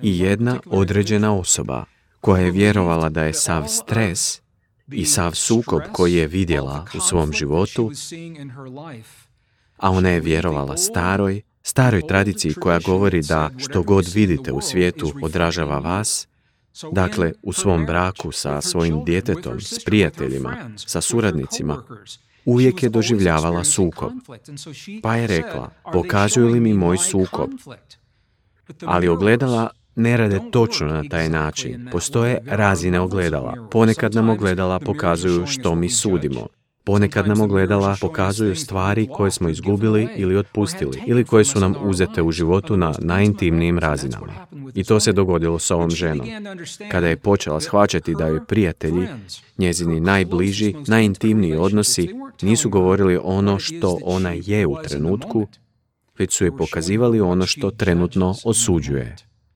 I jedna određena osoba koja je vjerovala da je sav stres i sav sukob koji je vidjela u svom životu, a ona je vjerovala staroj tradiciji koja govori da što god vidite u svijetu odražava vas, dakle u svom braku sa svojim djetetom, s prijateljima, sa suradnicima, uvijek je doživljavala sukob. Pa je rekla, pokazuju li mi moj sukob? Ali ogledala ne rade točno na taj način. Postoje razine ogledala. Ponekad nam ogledala pokazuju što mi sudimo. Ponekad nam ogledala pokazuju stvari koje smo izgubili ili otpustili, ili koje su nam uzete u životu na najintimnijim razinama. I to se dogodilo s ovom ženom. Kada je počela shvaćati da joj prijatelji, njezini najbliži, najintimniji odnosi, nisu govorili ono što ona je u trenutku, već su joj pokazivali ono što trenutno osuđuje.